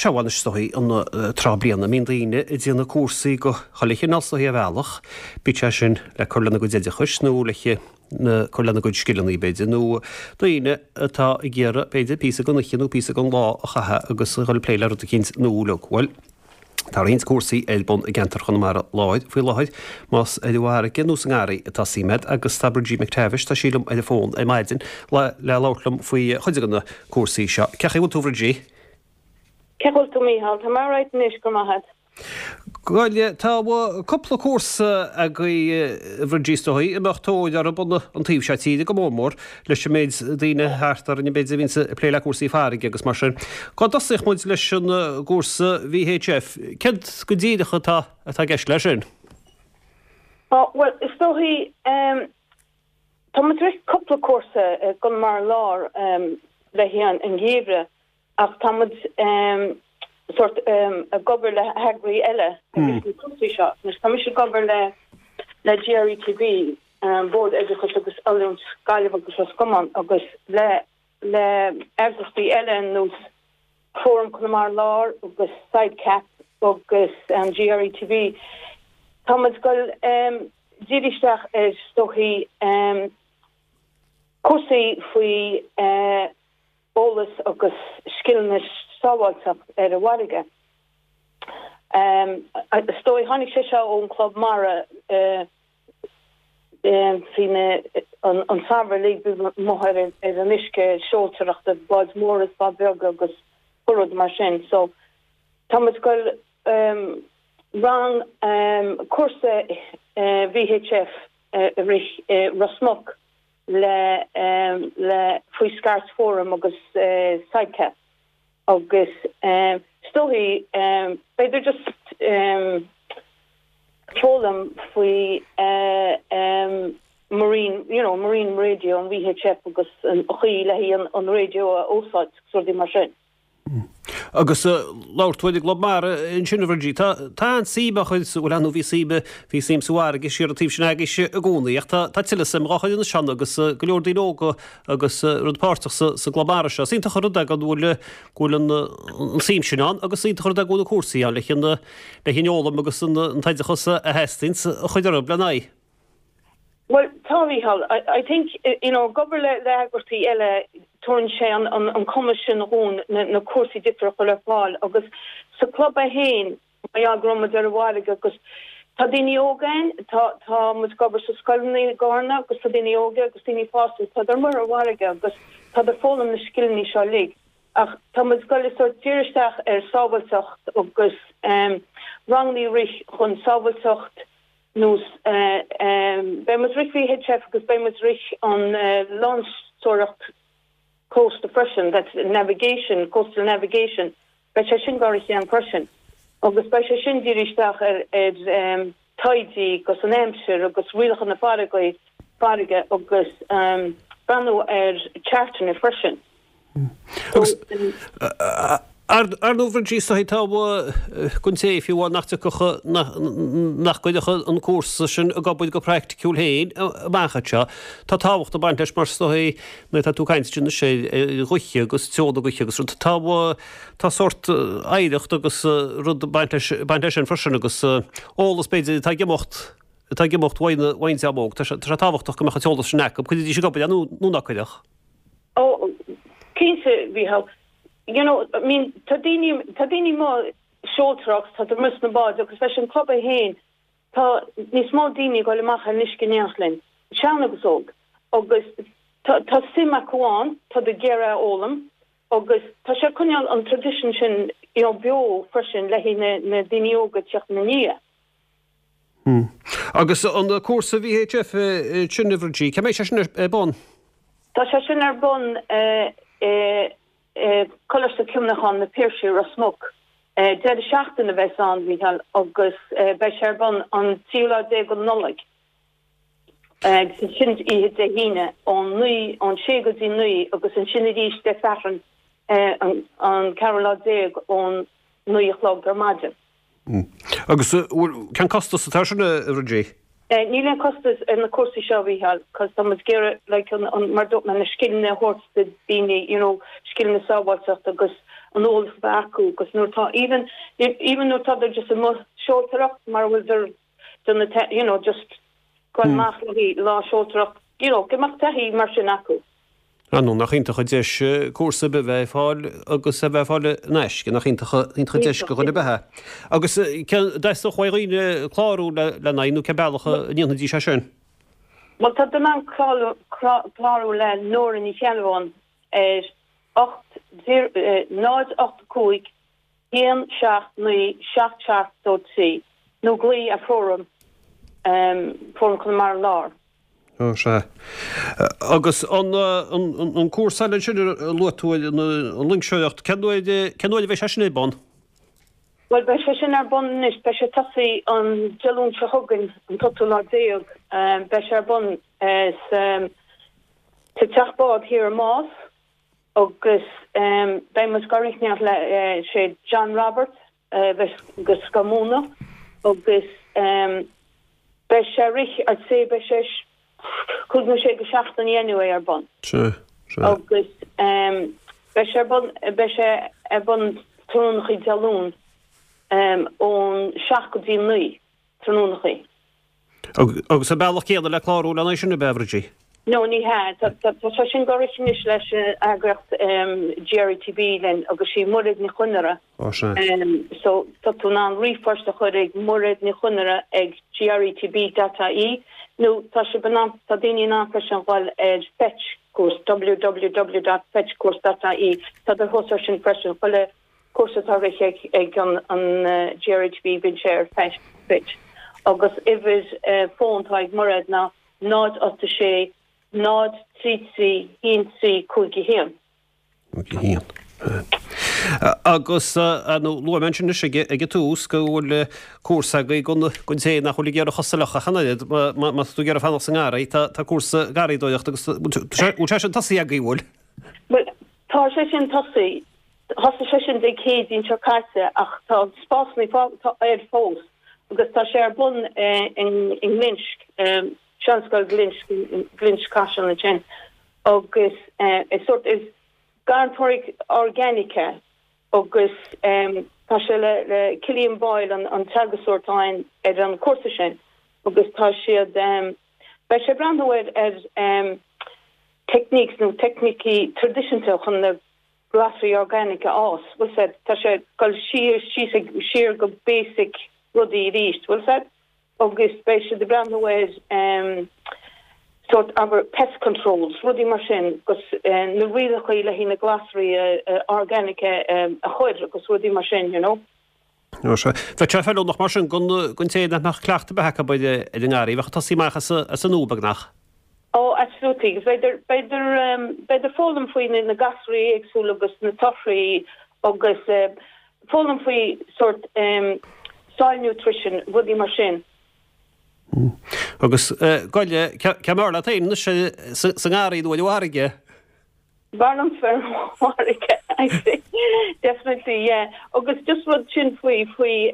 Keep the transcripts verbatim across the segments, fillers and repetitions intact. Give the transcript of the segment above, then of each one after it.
Sea, bhuel anois is dóichí an tráth bliana a mbíonn daoine ag déanamh cúrsaí go chuile chineál is dóichí ar bhealach, bíodh sé sin le cur lena gcuid oideachais nó le cur lena gcuid scileanna b'fhéidir, nó daoine atá ag iarraidh b'fhéidir píosa den oíche nó píosa den lá a chaitheamh agus a dhul ag plé le rud eicínt nua uilig. Bhuel, tá roinnt cúrsaí ar bun i gceantar Chonamara Láir faoi láthair, más ar an bhfarraige nó sa ngarraí atá suim agat agus tá Bridgie McTavish, tá sí liom ar an bhfón ar maidin le labhairt liom faoi chuid de na cúrsaí seo. Cén chaoi a bhfuil tú Bridgie? Cén chaoi a bhfuil tú Mícheál, tá mé alright anois go maith agat. Bhuel, tá cúpla cúrsa agaibh a Bhridgie is dóichí, a mbeadh tóir orthu an taobh seo tíre go mór mór leis an méid daoine thart orainn b'fhéidir a bhíonns ag plé le cúrsaí farraige agus mar sin. Cá dtosóidh muid leis an gcúrsa VHF? Céard go díreach atá atá i gceist leis sin? Bhuel, is dóichí tá muid ag rith cúpla cúrsa i gConamara Láir le haghaidh an gheimhreadh Ach tá muid sort ag obair le heagraí eile ag rith na cúrsaí seo. Anois tá mise ag obair le le GRETB, Bord Oideachais agus Oiliúint Gaillimh agus Ros Comáin agus le le eagraíochtaí eile ar nós Fóram Conamara Láir agus SIDECAP agus GRETB. Tá muid ag goil díriú isteach ar is dóichí cúrsaí faoi eolas agus scileanna sábháilteacht ar an bhfarraige. Is dóigh, tháinig sé seo ón Club Mara faoi na an samhradh uilig bhí amuigh ar ar an uisce seoltóireachta, báid móra is báid beaga agus rud mar sin. So tá muid ag goil rang cúrsa VHF a rith i Ros Muc le le faoi Scairt Forum agus SIDECAP agus is dóichí b'fhéidir just foghlaim faoi marine you know marine radio an VHF agus an chaoi le haghaidh an raidió a úsáid agus rudaí mar sin. Agus labhair tú ar an gClub Mara ansin a Bhridie. Tá tá an-suim á chur sa, bhuel ar ndóigh bhí suim, bhí suim sa bhfarraige siar an taobh sin agaibhse i gcónaí ach tá tá tuilleadh suim dhá chur anois ann agus go leor daoine óga agus rud páirteach sa sa gClub Mara seo. Is iontach an rud é go bhfuil go bhfuil an an suim sin ann agus is iontach an rud é go bhfuil na cúrsaí ann le an le an fhoghlaim agus an an t-oideachas a theastaíonn a chur orthu lena aghaidh. Bhuel, tá Mícheál. I I think you know ag obair le le heagraíochtaí eile tabharann sé an an an cumas sin dhúinn na na cúrsaí difriúla a chur ar fáil agus sa club é féin mar gheall go raibh muid ar an bhfarraige agus tá daoine óga ann, tá tá muid ag obair sa scoileanna i gCarna agus tá daoine óga agus daoine fásta tá ar muir ar bhfarraige agus tá ag foghlaim na scileanna seo uilig ach tá muid ag goil sort díriú isteach ar sábháilteacht agus um ranganna a rith chun sábháilteacht nós beidh muid ag rith VHF agus beidh muid ag rith an loingseoireacht cósta freisin, that's navigation, coastal navigation, beidh sé sin go rith ann freisin. Agus beidh sé sin díriú isteach ar ar taoidí agus an aimsir agus rialacha na farraige farraige agus breathnú ar chartanna freisin. Agus ar ndóigh a Bhridie is dóichí tá don té fiú amháin nach dtiocfadh nach gcuirfeadh an cúrsa sin ag obair go praiticiúil féin amach anseo. Tá tábhacht ag baint leis mar is dóichí nuair atá tú ag caint anois ar ghaoithe agus treo na gaoithe agus rud tá tá sórt oidhreacht agus rud ag baint leis baint leis sin freisin agus eolas b'fhéidir atá ag imeacht atá ag imeacht uaidh an dream óg. Tá sé tábhachtach go mbeadh an t-eolas sin acu. Cuirfidís ag obair nó nó ná cuirfeadh. Ó, cinnte, Mhícheál. You know, I mean, tá daoine, tá daoine amuigh seoltóireacht, tá amuigh sna báid agus leis an club é féin, tá níos mó daoine ag dul amach ar an uisce in éineacht linn, sean agus óg, agus tá, tá suim acu ann, tá ag iarraidh a fhoghlaim agus tá sé ag coinneáil an tradition sin, you know, beo freisin le haghaidh na, na daoine óga ag teacht ina ndiaidh. Agus an cúrsa VHF sin a Bhridie, cá mbeidh sé sin ar bun? Tá sé sin ar bun i Coláiste Cuimhneacháin na Piarsaigh, Ros Muc. Deireadh seachtaine a bheas ann, Mícheál, agus beidh sé ar bun an tríú lá déag de Nollaig, agus sin oíche Dé hAoine, ón naoi, ón sé go dtí naoi, agus ansin arís Dé Sathairn an ceathrú lá déag ón naoi a chlog ar maidin. Agus cén costas atá air sin, a Bhridie? Níl aon costas ar na cúrsaí seo, a Mhícheáil, cos tá muid ag iarraidh like an, an, mar dúirt mé, na scileanna a thabhairt do daoine, you know, scileanna sábháilteachta agus an eolas a bheith acu agus nuair tá even even nuair tá just amuigh seoltóireacht mar bhfuil der den you know just go hmm. amach le lá seoltóireacht you know go mbeadh taithí mar sin acu. Ar ndóigh nach iontach an deis cúrsa a bheith fáil agus a bheith fáil in aisce nach iontach iontach an deis do dhuine ar bith. Agus dteastódh ó dhaoine clárú le lena aghaidh nó cén bealach a ndéanfaidís é sin? Well tá tú in ann clárú le Nóra Ní Cheannabháin ar ocht náid ocht cúig haon seacht naoi seacht seacht dó trí nó glaoch ar Fóram Fóram Chonamara Láir. Ó sea. Agus an an cúrsa eile sin a luaigh tú an loingseoireacht, cén uair cén uair a bheidh sé sin ar bun? Well beidh sé sin ar bun anois, beidh sé tosaí an Dé Luain seo chugainn an t-ochtú lá déag, beidh sé ar bun sa teach bád thiar i Más agus beidh muid ag rith le sé John Roberts agus go múineadh agus beidh sé rith I'd say beidh sé cúig nó sé go seachtain anyway ar bun. Sea, sea. Agus beidh sé ar bun beidh sé ar bun tráthnónachaí Dé Luain ón seacht go dtí naoi tráthnónachaí. Agus an bealach céanna le clárú lena aghaidh sin ab ea, a Bhridie? No ní hea tá sé sin go rith anois leis eagraíocht GRETB linn agus sí Muiread Ní Chonaire. Ó sea. So tá tú in ann ríomhphost a chur ag Muiread Ní Chonaire ag GRETB dot ie nó tá sé in ann tá daoine in ann freisin dhul ar fetch course www dot fetchcourse dot ie tá do thuas ar sin freisin chuile cúrsa atá rith ag ag an an GRETB bíonn sé ar fetch fetch agus uimhir fón atá ag Muiread ná náid ocht a sé náid trí trí haon trí cúig a haon. Cúig a haon. Agus nó luaigh mé ansin anois ag an tús go bhfuil cúrsa agaibh don don té nach bhfuil ag iarraidh a chosa a fhliuchadh ach an oiread, má tá tú ag iarraidh fanacht sa ngarraí, tá tá cúrsa garraíodóireachta agus bhfuil sé sin tosaithe agaibh, bhfuil? Bhuel, tá sé sin tosaithe, thosaigh sé sin Dé Céadaoin seo caite ach tá spásanna tá air fós agus tá sé ar bun i nGlinsk. Seanscoil Ghlinsk, Ghlinsk Caiseal ansin agus is sórt is garraíodóireacht organic é agus tá sé le le Cillian Boyle an an teagascóir atá ann ar an cúrsa sin agus tá siad beidh sé ag breathnú ar ar techniques nó teicnící traidisiúnta chun na glasraí organic a fhás bhfuil said tá sé ag dul siar síos ag siar go basic rudaí arís bhfuil said agus beidh siad ag breathnú ar sórt abair pest controls, rudaí mar sin agus na rialacha le haghaidh na glasraí organic a chur agus rudaí mar sin, you know. Ó sea. Bheadh sé feiliúnach mar sin don don té nach mbeadh cleachtadh ar bith acu ar an ngarraí, bheadh ag tosaí amach as as an nua beagnach. Oh absolutely, agus b'fhéidir b'fhéidir b'fhéidir foghlaim faoi na gasraí éagsúla agus na torthaí agus foghlaim faoi sórt soil nutrition, rudaí mar sin. Agus goile, cé mb'fhearr leat féin anois sa ngarraí nó ar an bhfarraige? B'fhearr liom ar an bhfarraige, I think. Definitely, yeah. Agus just rud sin faoi faoi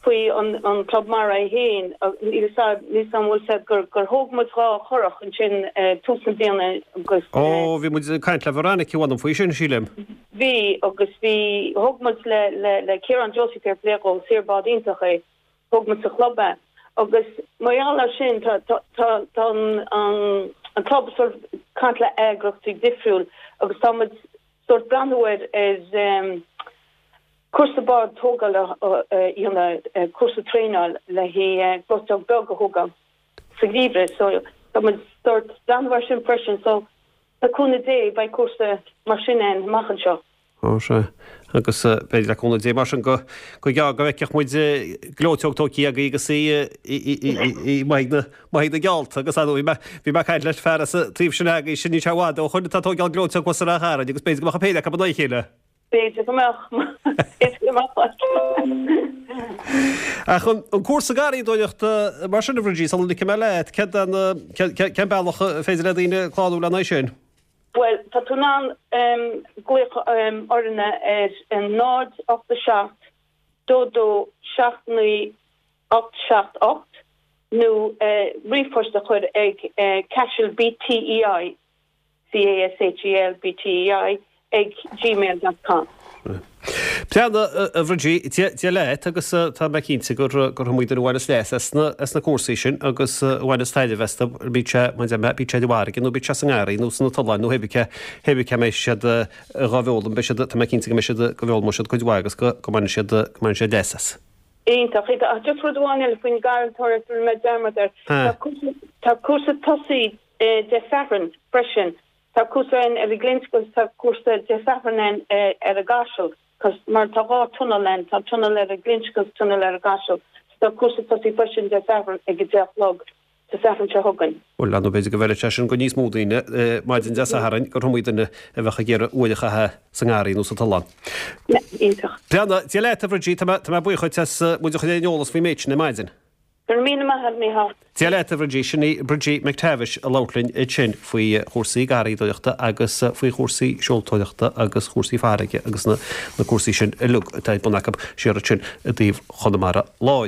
faoi an an Club Mara é féin, níl a fhios a'd, níl a fhios a'm an bhfuil a fhios a'd gur gur thóg muid dhá churach ansin tús na bliana agus. Ó, bhí muid ag caint le Veronica Whanam faoi sin, sílim. Bhí, agus bhí, thóg muid le le le Ciarán Josie fair play dhó, saor bád iontach é, thóg muid sa chlub é. Agus mar gheall air sin tá tá tá tá an an an club sort of caint le eagraíochtaí difriúil agus tá muid sort breathnú ar ar cúrsa bád tógála a dhéanamh, cúrsa traenáil le haghaidh gleoiteog beag a thógáil sa gheimhreadh. So tá muid sort breathnú air sin freisin. So le cúnamh Dé beidh cúrsa mar sin ann amach anseo. Ó sea. Agus b'fhéidir le cúnamh Dé mar sin go go gearr go bhfeicfeadh muid gleoiteog tógtha agaibh agus í í maith na maith na geallta agus bhí mé bhí mé ag caint leis fear as an taobh sin agaibh sin níl sé i bhfad ó shoin atá ag tógáil gleoiteog thuas ar Ráth Chairn agus b'fhéidir go mbeadh an péire acu in aghaidh a chéile. B'fhéidir go mbeadh. B'fhéidir go mbeadh. Ach an cúrsa garraíodóireachta mar sin a Bhridie, sula ligfidh mé leat, cén cén bealach a féidir le daoine clárú lena aghaidh sin? Bhuel, tá tú in ann glaoch orainne ar náid ocht a seacht dó dó seacht naoi ocht seacht ocht nó ríomhphost a chur ag Caiseal BTEI, C A S H E L B T E I, ag gmail dot com. Breandán, a Bhridie, Dia leat agus tá mé cinnte gur gur iomaí duine a bhaineas leas as na as na cúrsaí sin agus a bhaineas taitneamh astu, bíodh sé mar a deir mé, bíodh sé i bhfarraige nó bíodh sé sa ngarraí nó sna tolláin nó hé bith hé bith cá mbeidh siad dhá bhfoghlaim, beidh siad, tá mé cinnte go mbeidh siad, go bhfoghlaimeoidh siad cuid mhaith agus go go mbainfidh siad, go mbainfidh siad leas as. Iontach, iontach. Ach just rud amháin eile faoin ngarraíodóireacht, rinne mé dearmad air. Tá cúrsa, tá cúrsa tosaigh Dé Sathairn freisin. Tá cúrsa ann ar an Ghlinsk agus tá cúrsa Dé Sathairn ann ar an gCaiseal, cos mar tá dhá tunnel ann, tá tunnel ar an Ghlinsk agus tunnel ar an gCaiseal. So tá cúrsa tosaigh freisin Dé Sathairn ag a deich a chlog, Dé Sathairn seo chugainn. Bhuel, ar ndóigh b'fhéidir go bhfeilfeadh sé sin go níos mó daoine maidin Dé Sathairn, gur iomaí duine a bheadh ag iarraidh uair a chaitheamh sa ngarraí nó sa tollán. Iontach. Breandán, Dia leat a Bhridie, tá mé, tá mé buíoch dhuit as muid a chur ar an eolas faoin méid sin ar maidin. Go raibh míle maith agat, Mícheál. Dia leat, a Bhridie. Sin í Bridgie McTavish ag labhairt linn ansin faoi chúrsaí garraíodóireachta agus faoi chúrsaí seoltóireachta agus chúrsaí farraige agus na cúrsaí sin uilig atá ar bun acu siar ansin i dtaobh Chonamara Láir.